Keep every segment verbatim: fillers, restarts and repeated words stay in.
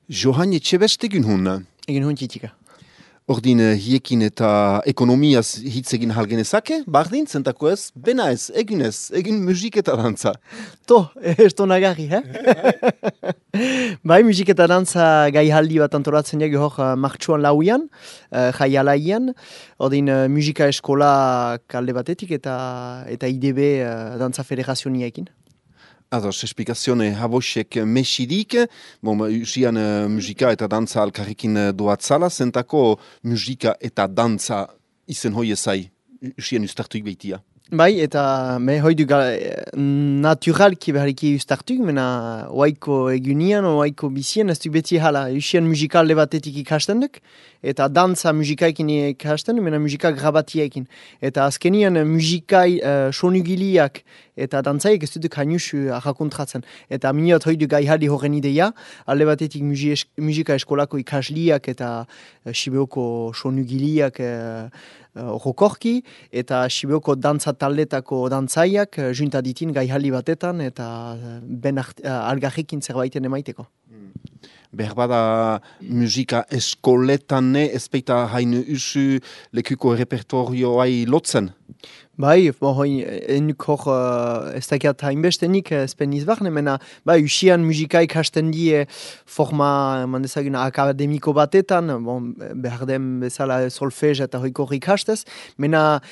Johan Etxebest egin hun. Egin hun txitika. Ordin hiekin eta ekonomiaz hitz egin halgenezake, bardin, zentako ez, bena ez, egin ez, egin musik eta dantza. To, ez to nagarri, he? Bai, musik eta dantza gai haldi bat antolatzen dugu hor uh, martxuan lauian, uh, jai alaian, ordin uh, musika eskola kalde batetik eta eta I D B uh, dantza federazioniekin. Ados, esplikazione habosek mesidik, bon, usian uh, musika eta dantza alkarrekin doatzala, zentako musika eta dantza izen hoi ezai, usian ustartuik behitia. Bai, eta me hoidu naturalki behariki ustartuik, mena oaiko egunian, oaiko bizien, ez du beti hala, usian musikalde batetik ikasten duk, eta dantza musikaekin ikasten, mena musika grabatiekin. Eta azkenian musikai uh, sonugiliak eta dantzaiek ez duduk hainusu ahakontratzen. Eta miniot hoidu gai hali horren ideia, alde batetik musika eskolako ikasliak eta uh, Sibeoko sonugiliak uh, rokorki, eta Sibeoko dantza taldetako dantzaiak uh, junta ditin gai hali batetan, eta uh, ben uh, algarrekin zerbaiten emaiteko. Berbada musika eskoletan ezpeita hain usu lekuko repertorioai lotzen? Bai, bo, hoi, enuk hor, uh, ez dakiat hainbestenik ezpen izbahne, mena, bai, usian musika ikasten die forma, mandezaguna, akademiko batetan, bon, behar den bezala solfez eta hoiko ikastez, mena,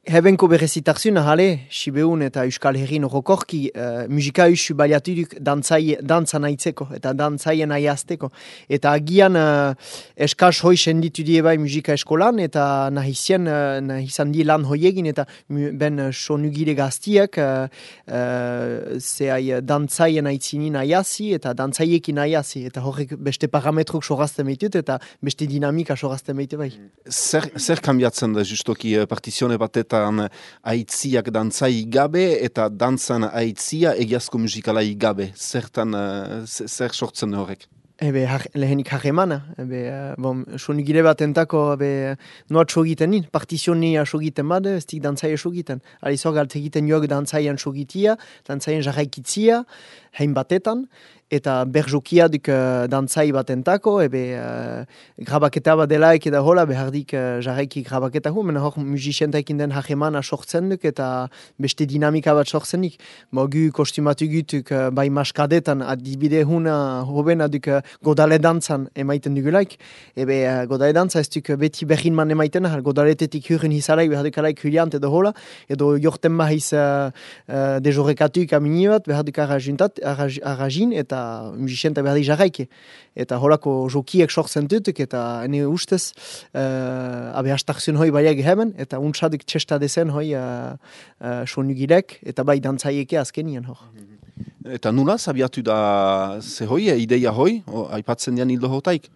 Hebenko berezitarzuna hale, Sibeun eta Euskal Herrin rokorki uh, musika usu baliatuduk dantzai, dantza nahitzeko eta dantzaien aiazteko. Eta agian uh, eskaz hoi senditu die bai musika eskolan eta nahizien, uh, nahizan die lan hoiegin eta ben uh, sonugile gaztiak uh, uh, zehai dantzaien aitzinin aiazi eta dantzaiekin aiazi. Eta horrek beste parametrok sorazten behitut eta beste dinamika sorazten behitut bai. Zer, zer kambiatzen da justoki partizione batetan aitziak dantzai gabe eta dantzan aitzia egiazko musikalai gabe. Zertan, uh, zer sortzen horrek? Ebe, har, lehenik harremana. Ebe, uh, bon, sonugile bat entako, ebe, noat sogiten nin. Partizionia sogiten bade, ez dik dantzaia sogiten. Alizor galt egiten joak dantzaian sogitia, dantzaian jarraikitzia, hein batetan, eta berjokia duk uh, dantzai bat entako, ebe, uh, grabaketa bat delaik eta hola, behardik uh, jarraiki grabaketa hu, mena hor musicientaikin den harremana sortzen duk, eta beste dinamika bat sortzenik. Mogu kostumatu gutuk uh, bai maskadetan, adibide huna hobena duk uh, godale dantzan emaiten dugulaik. Ebe, uh, godale dantza ez duk beti behin man emaiten, godaletetik hurren hizalaik, beharduk alaik huliant edo hola, edo jorten mahiz uh, uh, dejorekatuk amini bat, beharduk arrajuntat, arrajin, eta musicienta behar jarraike. Eta holako jokiek sortzen dutuk, eta ene ustez, uh, abe hastakzion hoi baiak heben, eta untsadik txesta dezen hoi uh, uh, sonugilek, eta bai dantzaieke azkenien hor. Eta nula zabiatu da ze hoi, ideia hoi, o, aipatzen dian hildo hotaik?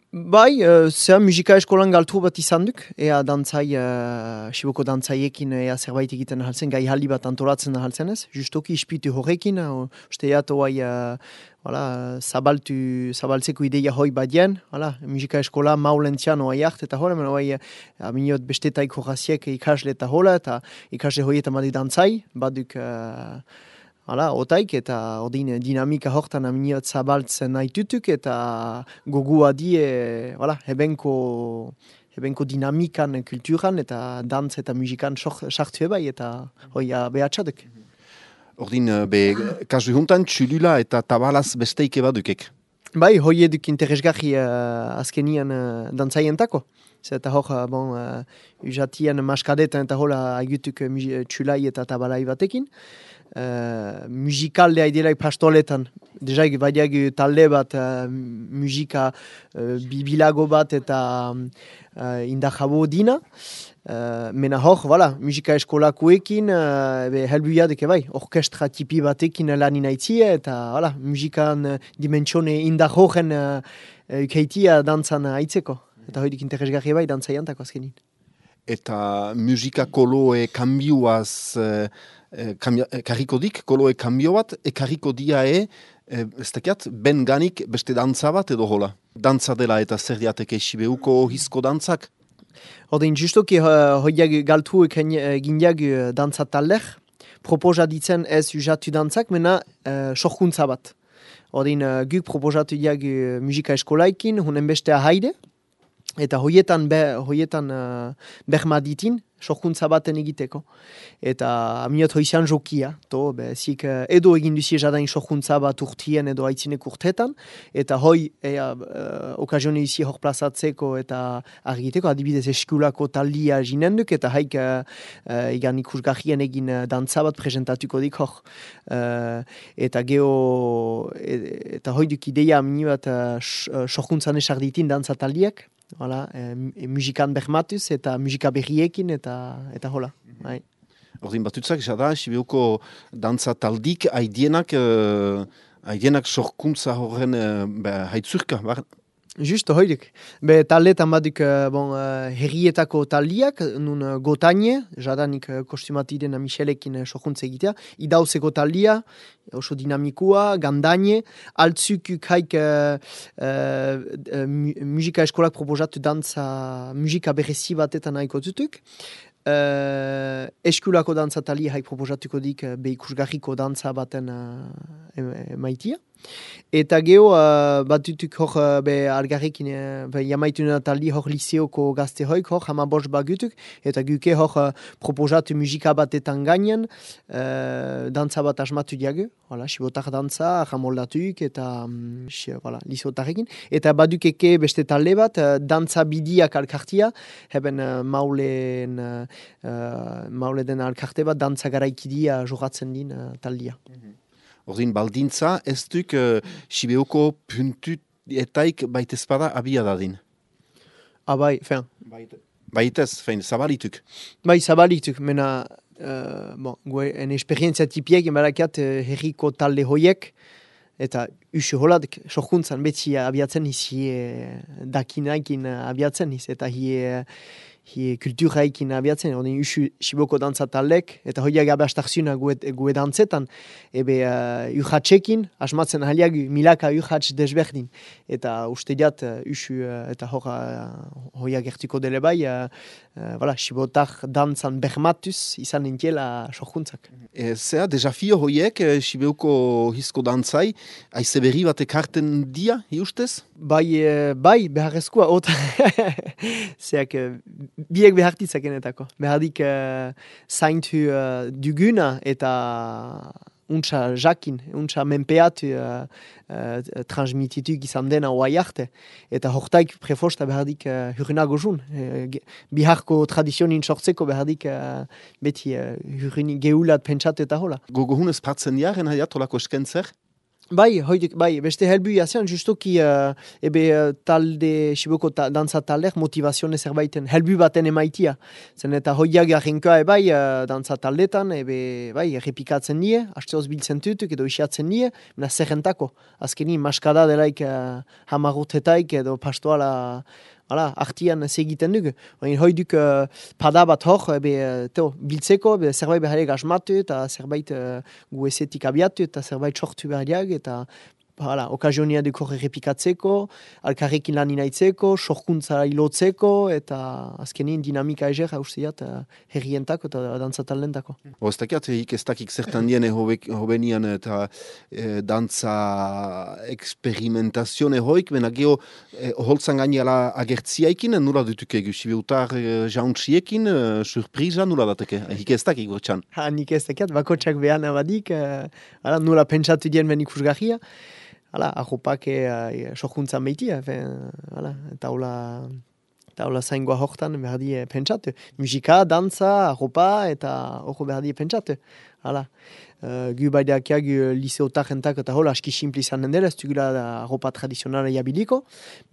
Bai, uh, zea musika eskolan galtu bat izan duk, ea dantzai, uh, Siboko dantzaiekin ea zerbait egiten ahaltzen, gai haldi bat antolatzen ahaltzen ez, justoki ispitu horrekin, uh, uste eato bai, uh, voilà, zabaltu, zabaltzeko ideia hoi badien, voilà, musika eskola maulentzian oai hart, eta hola, mena bai, aminiot bestetaik horaziek ikasle eta hola, eta ikasle hoi eta madi dantzai, baduk... Uh, Hala, otaik eta odin dinamika hortan aminiot zabaltzen nahi tutuk eta gogua die, hala, hebenko, hebenko dinamikan, kulturan eta dantz eta musikan sartu ebai eta hoia behatxaduk. Ordin, be, kasu juntan, txulula eta tabalaz besteike badukek? Bai, hoi eduk interesgarri uh, azkenian uh, dantzaientako. Eta hor, uh, bon, uh, usatian maskadetan eta hola aigutuk uh, txulai eta tabalai batekin. Uh, musikaldea idelaik pastoletan, dejaik badiak talde bat uh, musika uh, bibilago bat eta uh, indahabo dina. Uh, mena hor, voilà, musika eskolakoekin, uh, helbuiadek bai, orkestra tipi batekin lan inaitzia, eta voilà, musikan uh, dimentsione indar horren uh, ukeitia dantzan aitzeko. Eta hoidik interesgarri bai, dantzaiantako azkenin. Eta musika koloe kambioaz... Uh, Kambia, karriko dik, koloe kambio bat, ekarriko diae, e, ez dakiat, ben ganik beste dantza bat edo hola. Dantza dela eta zer diateke Sibeuko hizko dantzak? Odein, justoki uh, hoiak galtuek gindiak uh, dantza talder, proposa ditzen ez usatu dantzak, mena uh, sorkuntza bat. Odin uh, guk proposatu diagu musika eskolaikin, hunen bestea haide, eta hoietan, be, hoietan uh, berma ditin, sorkuntza baten egiteko. Eta aminot hoizan jokia, to, be, zik uh, edo egin duzie jadain sorkuntza bat urtien edo aitzinek urtetan, eta hoi ea, uh, okazione duzie hor plazatzeko eta argiteko, adibidez eskulako taldia jinenduk, eta haik uh, uh, egan ikusgarrien egin uh, dantza bat presentatuko dik hor. Uh, eta geho, et, eta hoi duk ideia amini bat uh, sorkuntzan esarditin dantza taldiak, Hala, e, musikan bermatuz eta musika berriekin eta eta hola. Bai. Ordin batutzak, jada, Sibeuko dantza taldik haidienak, uh, haidienak sorkuntza horren uh, haitzurka, bar? Justo, hoidik. Be taldetan baduk bon, uh, herrietako taldiak, nun uh, gotaine, jadanik uh, kostumatiden Michelekin uh, sorkuntza egitea, idauzeko taldia, oso dinamikua, gandaine, altzukuk haik uh, uh, musika eskolak proposatu dantza, musika berezi batetan haiko zutuk. Uh, eskulako dantza tali haik proposatuko dik uh, behikusgarriko dantza baten uh, emaitia. Eta geho, uh, batutuk hor uh, be algarrekin, uh, be jamaituna taldi hor liseoko gazte hoik, hor hamabos bagutuk, eta guke hor uh, proposatu musika batetan gainen, uh, dantza bat asmatu diagu, voilà, sibotar dantza, jamoldatuk, eta um, voilà, liseotarekin. Eta badukeke beste talde bat, uh, dantza bidiak alkartia, heben uh, maulen, uh, uh, maule den alkarte bat, dantza garaikidia jogatzen din uh, taldia. Mm-hmm. Ordin, baldintza, ez duk uh, Sibeuko puntuetaik baitezpada abia dadin? Abai, fein. Baitez, fein, zabalituk? Bai, zabalituk, mena, uh, bon, gue, en esperientzia tipiek, enbarakiat, uh, herriko talde hoiek, eta usu holadik, sorkuntzan beti abiatzen izi, eh, dakinaikin abiatzen iz, eta hi... hi kulturaikin abiatzen, odin usu Siboko dantza taldek, eta hoiak abastarziuna gue, gue dantzetan, ebe uh, urratxekin, asmatzen haliak milaka urratx desberdin. Eta uste diat, uh, usu, uh, eta hor uh, hoiak ertuko dele bai, uh, uh, voilà, Sibotar dantzan bermatuz izan nintiela sorkuntzak. E, zea, desafio hoiek, e, Sibeuko hizko dantzai, aize berri bat ekarten dia, hi ustez? Bai, e, bai, beharrezkoa, ota. Zeak, biek behartitzakenetako. Behardik uh, zaintu uh, duguna eta untsa jakin, untsa menpeatu uh, uh, transmititu izan dena oai arte. Eta hortaik prefosta behardik uh, hurinago jun. Uh, biharko tradizionin sortzeko behardik uh, beti uh, hurini geulat pentsatu eta hola. Gogo hunez partzen jaren haiat holako eskentzer? Bai, hoidik, bai, beste helbu jazean, justoki uh, ebe uh, talde, Siboko ta, dantza taldeak motivazione zerbaiten, helbu baten emaitia. Zen eta hoiak jarrinkoa bai uh, dantza taldetan, ebe bai, errepikatzen nie, hasteoz biltzen tutuk edo isiatzen nie, mena zerrentako. Azkeni, maskada delaik uh, hamarrotetaik edo pastoala Hala, artian segiten dugu. Hoi duk uh, pada bat hor, ebe, teo, biltzeko, be, zerbait behariak asmatu, eta zerbait uh, gu esetik abiatu, eta zerbait sortu behariak, eta hala, okazionia duk hor errepikatzeko, alkarrekin lan inaitzeko, sorkuntza ilotzeko, eta azkenin dinamika eger hausteat uh, herrientako eta dantzataldentako. O, ez dakiat, hik ez dakik zertan diene hobenian eta e, dantza eksperimentazione hoik, bena geho e, holtzan gainela agertziaikin, nula dutuke egu, Sibeutar e, jauntziekin, e, surpriza nula dateke, hik ez dakik gortxan. Ha, nik ez dakiat, bakotxak behan abadik, uh, hala, nula pentsatu dien ben ikusgarria, hala, arropak uh, sorkuntzan behitia, hala, eta hola... Eta hola zaingoa hortan behar die pentsatu. Musika, dantza, arropa eta hori behar die pentsatu. Hala. Uh, gu baideakia gu liseotarentak eta hola aski simpli izan dela, ez dugula arropa tradizionala jabiliko.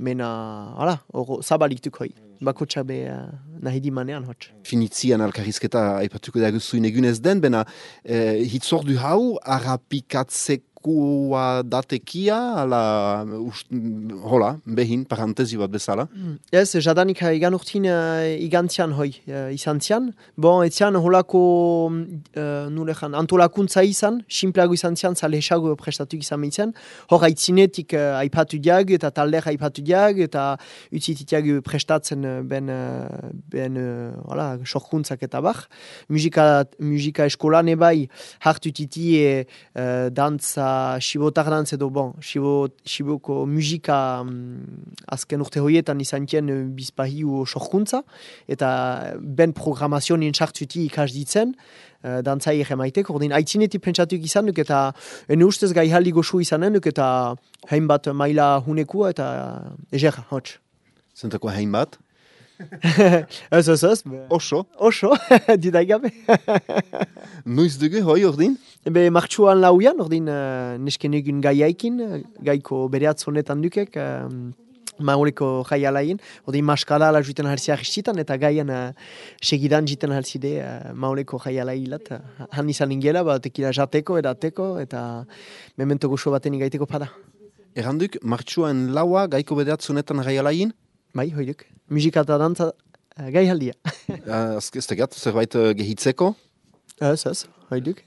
Mena, hala, hori zabaliktuk hoi. Bakotxa be uh, nahi di manean hotx. Finitzian alkarrizketa aipatuko da guzuin egunez den, bena eh, hitzordu hau harrapikatzeko kua datekia, ala, ust, hola, behin, parantezi bat bezala. Mm. Ez, jadanik igan urtin uh, igantzian hoi, uh, izan zian. Bon, etzian holako uh, nulejan, antolakuntza izan, simpleago izan zian, zale esago prestatu izan behitzen. Hor haitzinetik uh, aipatu diag, eta talder aipatu diag, eta utzititiag prestatzen uh, ben, uh, ben uh, hola, sorkuntzak eta bar. Musika, musika eskolan ebai, hartu titi uh, dantza eta Sibotar dantz edo, bon, Sibo, Siboko musika um, azken urte hoietan izan tien uh, bizpahiu sorkuntza, eta ben programazionin sartzuti ikas ditzen, uh, dantzai egemaiteko, ordin aitzinetik pentsatuk izan duk, eta ene ustez gai haldi goxu izanen duk, eta hainbat maila hunekua, eta eger, hotx. Zentako hain bat? Ez, ez, ez. Oso? Oso, didai gabe. Noiz dugu, hoi ordin? Ebe martxuan lauian, ordin uh, nesken egun gaiaikin, gaiko bereatz honetan dukek, uh, maureko jaialain, ordin maskala ala juiten halziak istitan, eta gaian uh, segidan jiten halzide uh, maureko jaialailat. Uh, han izan ingela, bat ekila jateko, edateko, eta memento goxo baten igaiteko pada. Erranduk, martxuan laua gaiko bereatz honetan jaialain? Bai, hoiduk. Musika eta dantza uh, gai haldia. uh, Ez tegat, zerbait uh, gehitzeko? Ez, ez, hoiduk.